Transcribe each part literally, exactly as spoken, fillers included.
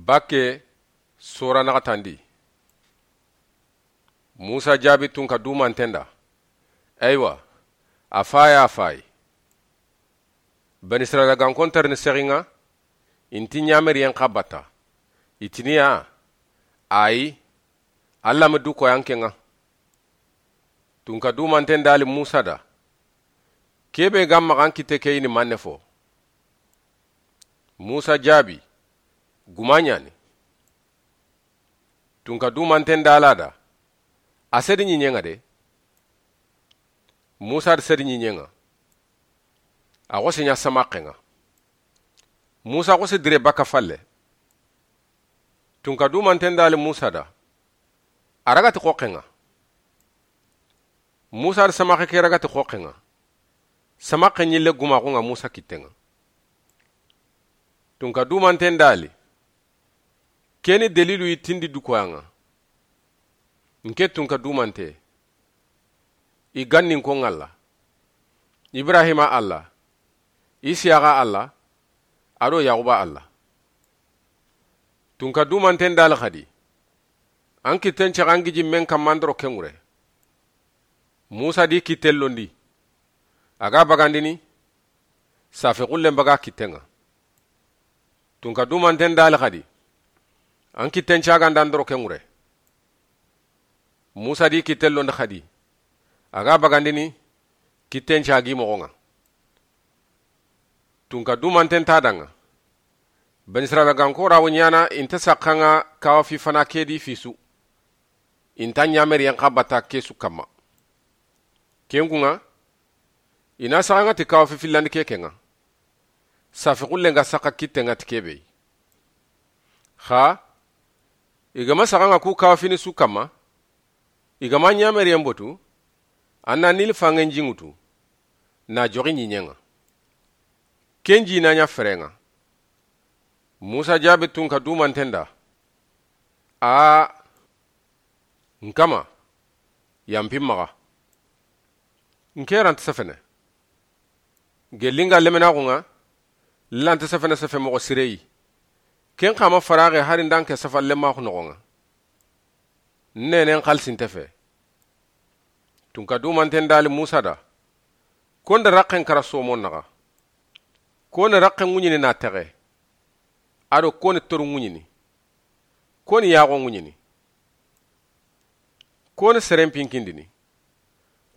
Bakke sora naxatandi. Musa jaabi tunka dumanten da. Eywa, a fayi, a fayi. Bani Israila ga n kontarini sexi ŋa, i nti ɲameriyen xa batta. I tini ya, ayi, Alla ma du koyan ke ŋa. Tunka dumanten dali Musa da. Kebe ga maxa an kitte ke yi ni manne fo? Musa jaabi, guma ɲa ni. Tunka dumanten dala da. A sedi ɲiɲen ŋa de. Musa da sedi ɲiɲen ŋa. A xose ɲa samaxen ŋa. Musa xose dire baka falle. Tunka dumanten dali Musa da. A raga ti xoxen ŋa. Musa da samaxe ke raga ti xoxen ŋa. Samaxe ɲille gumaxun ŋa Musa kitten ŋa. Tunka dumanten dali. Keni dalilu yi tindi du koyan ŋa. Nke tunka dumante. I gannin ko ŋalla. Ibrahima Alla. Isiyaxa Alla. Ado Yaxuba Alla. Tunka dumanten dali xadi. An kitten caxa an giji men kamma an doro kenŋure. Musa di kitten londi. A ga bagandini. Safe xullen baga kitten ŋa. Tunka dumanten dali xadi. An kitten caga nda an doro kenŋure. Musa di kitten londi xadi. A ga bagandini kitten cagi moxon ŋa. Tunka dumanten ta da ŋa. Bani Israila ga n kora wo ɲana i nta saxa ŋa kawa fi fana ke di fi su. I nta ɲameriyen xa batta ke su kamma. Kenkun ŋa. I na saxa ŋa ti kawa fi fillandi ke ke ŋa. Safe xullen ga saxa kitten ŋa ti kebe yi. Xa. I ga ma saxa ŋa ku kawa fini su kamma. I ga ma ɲameriyen botu. An na Nili fanŋen ji ŋutu. Na joxi ɲiɲen ŋa. Ken ji na ɲa feren ŋa. Musa jaabi tunka dumanten da. A. N kama. Yanpin maxa. Nke ranta sefene. Gelli nga lemenaxun ŋa. Lanta sefene sefe moxo sire yi. Ken xa ma faraxe hari nda nke safa lemaxu noxon ŋa. Nenen xalisi nte fe. Tunka dumanten dali Musa da. Ko n da raxen kara somon naxa. Ko ni raxen ŋuɲini na texe. Ado ko ni toru ŋuɲini. Ko ni yaxo ŋuɲini. Ko ni seren pinkindini.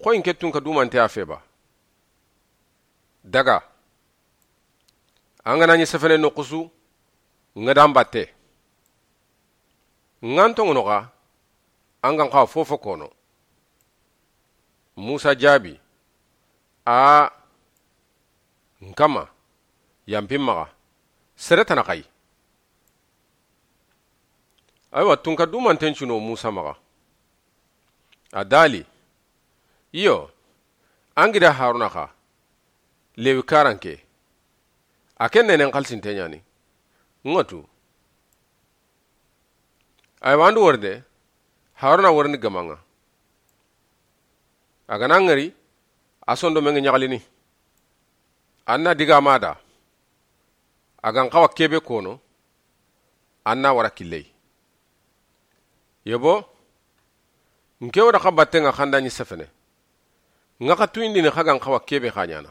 Xoyi nke tunka dumante a fe ba. Daga. An ga na ɲi sefene noxu su. Ŋa da n batte. Ŋa n toŋono xa. An ga n xawa fofo kono. Musa jaabi. A. N kama. Yanpin maxa. Sere tana xayi. Aywa tunka dumanten cuno Musa maxa. A dali. Iyo. An gida Haruna xa. Lewi karanke. A ken nenen xalisinte ɲani. Ŋa tu. Aywa an do worinde. Haruna worindi gamanŋa. A ga na ŋari. A sondo menŋe ɲaxalini. An na diga ma da. A ga n xawa kebe kono. An na wara killey. Yebo. Nke wara xa battenŋa xa n da ɲi sefene. Ŋa xa tuyindini xa ga n xawa kebe xa ɲana.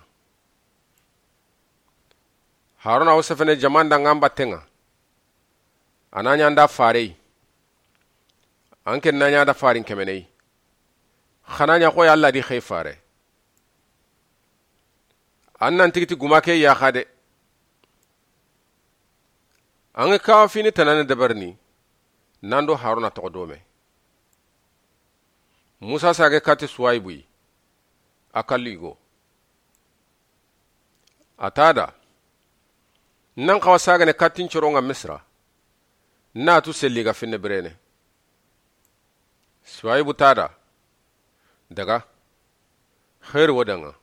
Haruna wo sefene jamanda ŋa n battenŋa. A na ɲa n da farey. An ken na ɲa da farin kemeney. Xa na ɲa xoyi Alla di xey fare. An nan tigiti guma ke yaxa de. An ga kawa fini tanane dabarini. Nan do Haruna toxo dome. Musa sage kati Suwaybu yi. A kallu yigo. A ta da. Nan xawa sagane katin coronŋa Misra. Na tu selli ga finne birene. Suwaybu ta da. Daga. Xeeri wo danŋa.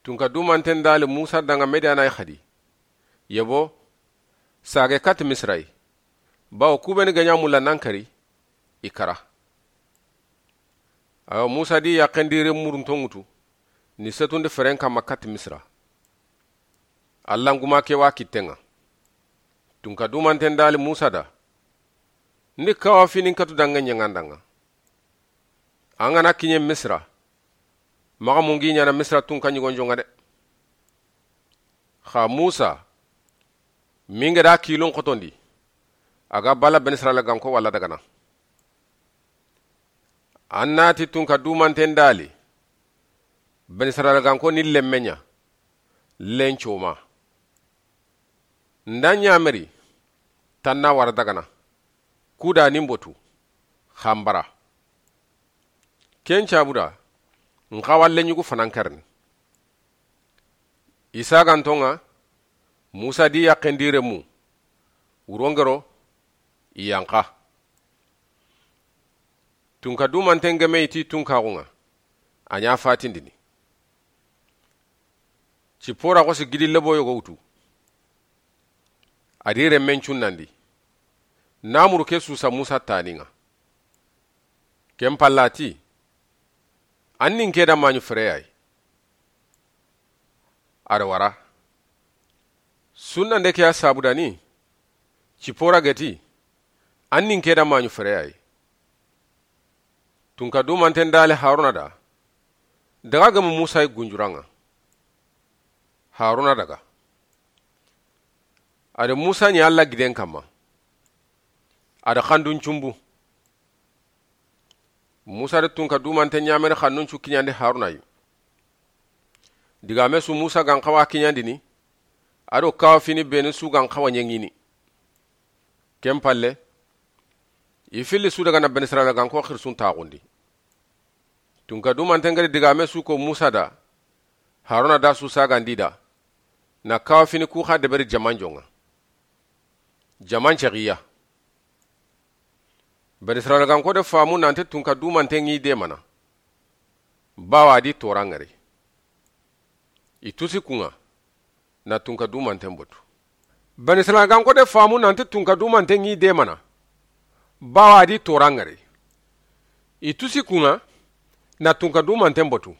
Tunka dumanten dali Musa danŋa Mediyana yi xadi. Yebo. Sage kati Misra yi. Bawo kubeni ga ɲa mulla nan kari. I kara. Awa Musa di yaxen di re murunto ŋutu. Ni setundi feren kamma kati Misra. Alla n guma ke wa kittenŋa. Tunka dumanten da li Musa da: Ndi kawa fini n katu danŋe ɲaŋandaŋa. An ga na kiɲe Misira, maxa mungi ɲaana Misira tunka ɲigonjonŋa de. Xa Musa, minge da kilun xotondi, a ga bala Benisirayila ganko walla dagana. An na ti tunka dumanten da li: Benisirayila ganko ni lemmeɲa, lencoma. Nda ɲameri, tanna wara dagana, kuda ni mbotu, xanbara. Ken cabuda, n xawa leɲugu fanankarni. Isa gantonŋa, Musa di yaxen di remu, wurongero, i yanxa. Tunka dumanten geme i ti tunkaxunŋa, a ɲa fatindini. Cipora xosi gidi lebo yogo wutu. A di remmen cunnandi. Namuru ke susa Musa taninŋa. Ken pallati: An nin ke da maɲu fereyayi. A da wara. Sunnande ke ya sabudani, Cipora geti: An nin ke da maɲu fereyayi. Tunka dumanten da li Haruna da: Daga gemu Musa yi gunjuranŋa. Haruna daga. A da Musa ɲi Alla giden kamma. A da xandun cumbu. Musa da tunka dumanten ɲameri xannun cu kiɲandi Haruna yi. Digame su Musa gan xawa kiɲandini, a do kawa fini benu su gan xawa ɲeŋini. Ken palle, i filli su daga na Benisirayila ganko xirisun taxundi. Tunka dumanten gari digame su ko Musa da, Haruna da su sagandi da, na kawa fini ku xa deberi jamanjonŋa. Jaman cexiya. Benisirayila ganko de famu nante tunka dumanten ŋi demana. Bawa a di toranŋari. I tusi kunŋa, na tunka dumanten botu. Benisirayila ganko de famu nante tunka dumanten ŋi demana. Bawa a di toranŋari. I tusi kunŋa, na tunka dumanten botu.